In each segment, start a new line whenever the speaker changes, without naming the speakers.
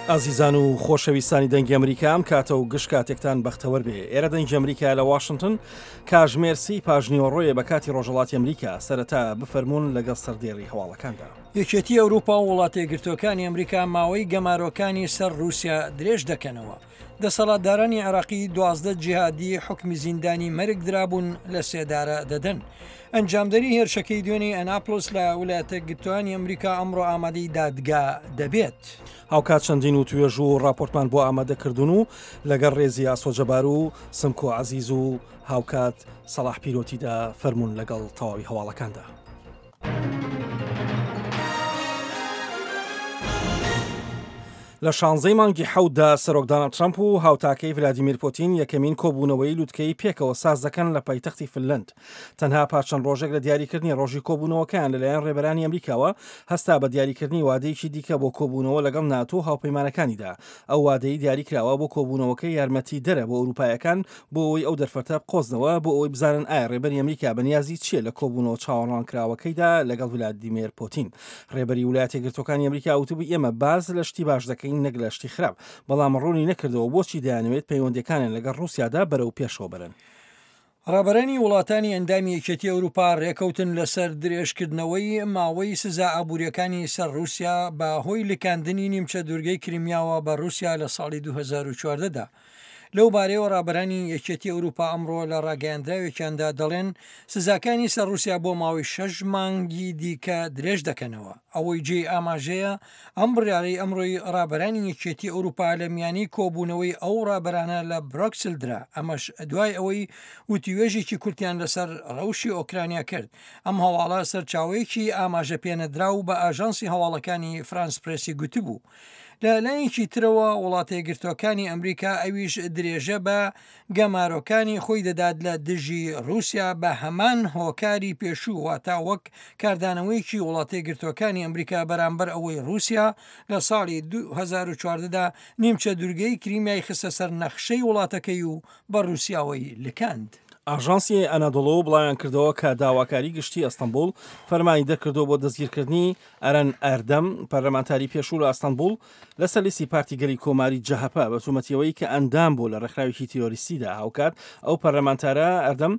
ئازیزان و خۆشەویستانی دەنگی ئەمریکا ئەم کاتە و گشت کاتێکتان بەختەوەر بێ ئێرە دەنگی ئەمریکا لە واشنگتن کاژمێر سی پاژنیوەڕۆیە بە کاتی ڕۆژەڵاتی ئەمریکا سەرەتا بفەرمونون لەگەڵ سەردێڕی هەواڵەکاندا.
یەکێتی ئەوروپا و وڵاتەیەکگرتووەکانی ئەمریکا ماوەی گەمارۆکانی سەر ڕووسیا درێژ دەکەنەوە. دەسەڵاتدارانی عێراقی 12 جیهادی حوکمی زیندانی مەرگ درابوون لە سێدارە دەدەن. ئەنجامدەری هێرشەکەی دوێنێی ئەناپلس لە ولایەتەکگرتووانی ئەمریکا ئەمڕۆ ئامادەی دادگا دەبێت.
هاوکات چەندین وتوێژ و ڕاپۆرتمان بۆ ئامادە کردوون و لەگەڵ ڕێزی ئاسۆ جەبار و سمکۆ عەزیز و هاوکات سەڵاح پیرۆتیدا فەرموون لەگەڵ تەواوی هەواڵەکاندا. لە شانزەی مانگی حەوتدا سەرۆک داناڵد ترەمپ و هاوتاکەی ڤلادیمیر پۆتین یەکەمین کۆبوونەوەی لوتکەی پێکەوە ساز دەکەن لە پایتەختی فنلەند. تەنها پاش چەند ڕۆژێک لە دیاریکردنی ڕۆژی کۆبوونەوەکەیان لەلایەن ڕێبەرانی ئەمریکاوە هەستا بە دیاریکردنی وادەیەکی دیکە بۆ کۆبوونەوە لەگەڵ ناتۆ و هاوپەیمانەکانیدا. ئەو وادەی دیاریکراوە بۆ کۆبوونەوەکە یارمەتیدەرە بۆ ئەوروپایەکان بۆ ئەوەی ئەو دەرفەتە بقۆزنەوە بۆ ئەوەی بزانن ئایا ڕێبەری ئەمریکا بەنیازی چییە لە کۆبوونەوە چاوەڕوانکراوەکەیدا لەگەڵ ڤلادیمێر پۆتین. ڕێبەری ولایەتە یەکگرتووەکانی ئەمریکا وتبووی ئێمە باس لە شتی باش دەکەین نەک لە شتی خراپ، بەڵام ڕوونی نەکردەوە بۆچی دەیانەوێت پەیوەندییەکانیان لەگەڵ ڕووسیادا بەرەو پێشەوە بەرن.
ڕابەرانی وڵاتانی ئەندامی یەکێتی ئەوروپا ڕێکەوتن لەسەر درێژکردنەوەی ماوەی سزا ئابوورییەکانی سەر ڕووسیا بە هۆی لکاندنی نیمچە دوورگەی کریمیاوە بە ڕووسیا لە ساڵی 2014 دا. لەو بارەیەوە ڕابەرانی یەکێتی ئەوروپا ئەمڕۆ لە ڕاگەیاندراوێکیاندا دەڵێن سزاکانی سەر ڕووسیا بۆ ماوەی شەش مانگی دیکە درێژ دەکەنەوە. ئەوەی جێی ئاماژەیە ئەم بڕیارەی ئەمڕۆی ڕابەرانی یەکێتی ئەوروپا لە میانی کۆبوونەوەی ئەو ڕابەرانە لە برۆکسل درا، ئەمەش دوای ئەوەی وتووێژێکی کورتیان لەسەر ڕەوشی ئۆکرانیا کرد. ئەم هەواڵە سەرچاوەیەکی ئاماژە پێنەدراو بە ئاژانسی هەواڵەکانی فرانس پرێسی گوتبوو. لە لایەکی ترەوە وڵاتەیەکگرتووەکانی ئەمریکا ئەویش درێژە بە گەمارۆکانی خۆی دەدات لە دژی ڕووسیا بە هەمان هۆکاری پێشوو واتا وەک کاردانەوەیەکی وڵاتەیەکگرتووەکانی ئەمریکا بەرامبەر ئەوەی ڕووسیا لە ساڵی 2014 دا نیمچە دوورگەی کریمیای خستە سەر نەخشەی وڵاتەکەی و بە ڕووسیاوەی لکاند.
ئاژانسی ئەنادۆڵۆ بڵاویانکردەوە کە داواکاری گشتی ئەستەنبوڵ فەرمانی دەرکردووە بۆ دەستگیرکردنی ئەرەن ئەردەم، پەرلەمانتاری پێشوو لە ئەستەنبوڵ، لەسەر لیستی پارتی گەلی کۆماری جەهەپە بە تۆمەتی ئەوەی کە ئەندام بووە لە ڕێکخراوێکی تیرۆریستیدا. هاوکات ئەو پەرلەمانتارە ئەردەم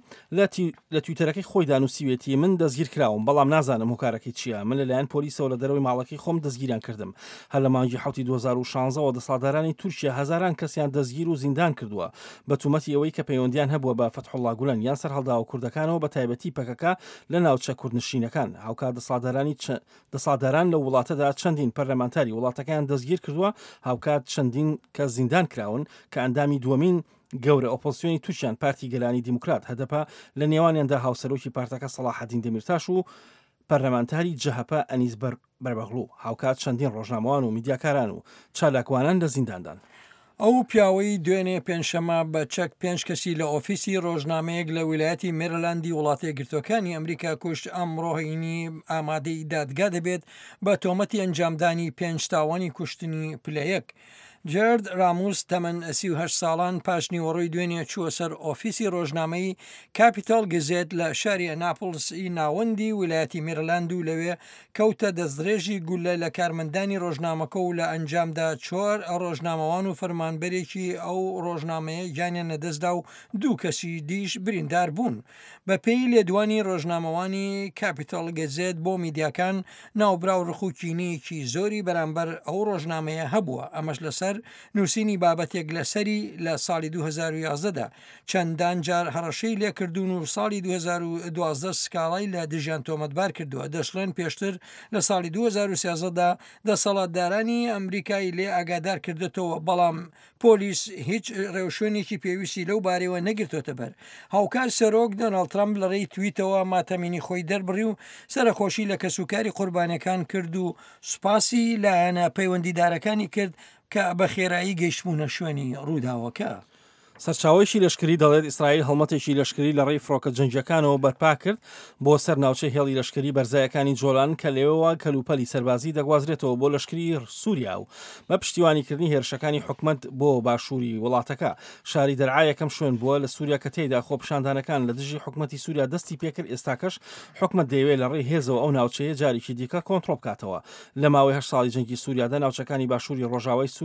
لە تویتەرەکەی خۆیدا نووسیوێتی من دەستگیرکراوم، بەڵام نازانم هۆکارەکەی چییە. من لەلایەن پۆلیسەوە لە دەرەوەی ماڵەکەی خۆم دەستگیریان کردم. هەر لە مانگی حەوتی 2016 ەوە دەسەڵاتدارانی تورکیا هەزاران کەسیان دەستگیر و زیندان کردووە بە تۆمەتی ئەوەی کە پەیوەندیان هەبووە بە فەتحوڵڵا گولەن یان سەرهەڵداوە کوردەکانەوە بە تایبەتی پەکەکە لە ناوچە کوردنشینەکان. هاوکات دەسەڵاتدارانی دەسەڵاتداران لەو وڵاتەدا چەندین پەرلەمانتاری وڵاتەکەیان دەستگیر کردووە، هاوکات چەندین کەس زیندان کراون کە ئەندامی دووەمین گەورە ئۆپۆزسیۆنی تورکیان پارتی گەلانی دیموکرات، هەدەپە، لە نێوانیاندا هاوسەرۆکی پارتەکە سەڵاحەدین دەمیرتاش و پەرلەمانتاری جەهەپە ئەنیس بەربەغڵو، هاوکات چەندین ڕۆژنامەوان و میدیاکاران و چالاکوانان لە زینداندان.
ئەو پیاوەی دوێنێ پێنجشەممە بە چەک پێنج کەسی لە ئۆفیسی ڕۆژنامەیەک لە ویلایەتی مێرلاندی وڵاتەیەکگرتووەکانی ئەمریکا کوشت، ئەمڕۆ هەینی ئامادەی دادگا دەبێت بە تۆمەتی ئەنجامدانی پێنج تاوانی کوشتنی پلە یەک. جێرد راموس تەمەن 38 ساڵان پاشنیوەڕۆی دوێنێ چووە سەر ئۆفیسی ڕۆژنامەی کاپیتاڵ گزێت لە شاری ئەناپڵس ی ناوەندی ویلایەتی میرلاند و لەوێ کەوتە دەستڕێژی گوللە لە کارمەندانی ڕۆژنامەکە و لە ئەنجامدا چۆر ڕۆژنامەوان و فەرمانبەرێکی ئەو ڕۆژنامەیە گیانیان لەدەستدا و دوو کەسی دیش بریندار بوون. بەپێی لێدوانی ڕۆژنامەوانی کاپیتاڵ گەزێت بۆ میدیاکان، ناوبراو ڕق و کینەیەکی زۆری بەرامبەر ئەو ڕۆژنامەیە هەبووە، ئەمەش لەسەر نووسینی بابەتێک لەسەری لە ساڵی 2011 دا چەندان جار هەڕەشەی لێکردوون و ساڵی 2012 سکاڵای لە دژیان تۆمەتبار کردووە، دەشڵێن پێشتر لە ساڵی 2013 دا دەسەڵاتدارانی ئەمریکای لێ ئاگادار کردۆتەوە، بەڵام پۆلیس هیچ ڕێوشوێنێکی پێویستی لەو بارەیەوە نەگرتۆتە بەر. هاوکات سەرۆک دۆناڵد ترەمپ لە ڕێی تویتەوە ماتەمینی خۆی دەربڕی و سەرەخۆشی لە کەسوکاری قوربانیەکان کرد و سوپاسی لایەنە پەیوەندیدارەکانی کرد کە بە خێرایی گەیشتبوونە شوێنی ڕووداوەکە.
سەرچاوەیەکی لەشکری دەڵێت ئیسرائیل هەڵمەتێکی لەشکری لە ڕێی فڕۆکە جەنگییەکانەوە بەرپا کرد بۆ سەر ناوچەی هێڵی لەشکری بەرزایەکانی جۆلان کە لەوێوە کەلوپەلی سەربازی دەگوازرێتەوە بۆ لەشکری سووریا و بە پشتیوانیکردنی هێرشەکانی حکومەت بۆ باشووری وڵاتەکە. شاری دەرعا یەکەم شوێن بووە لە سووریا کە تێیدا خۆپیشاندانەکان لە دژی حکومەتی سووریا دەستی پێکرد، ئێستاکەش حکومەت دەیەوێت لە ڕێی هێزەوە ئەو ناوچەیە جارێکی دیکە کۆنتڕۆڵ بکاتەوە. لە ماوەی هەشت ساڵی جەنگی سووریادا ناوچەکانی باشووری ڕۆژاوای سووریا.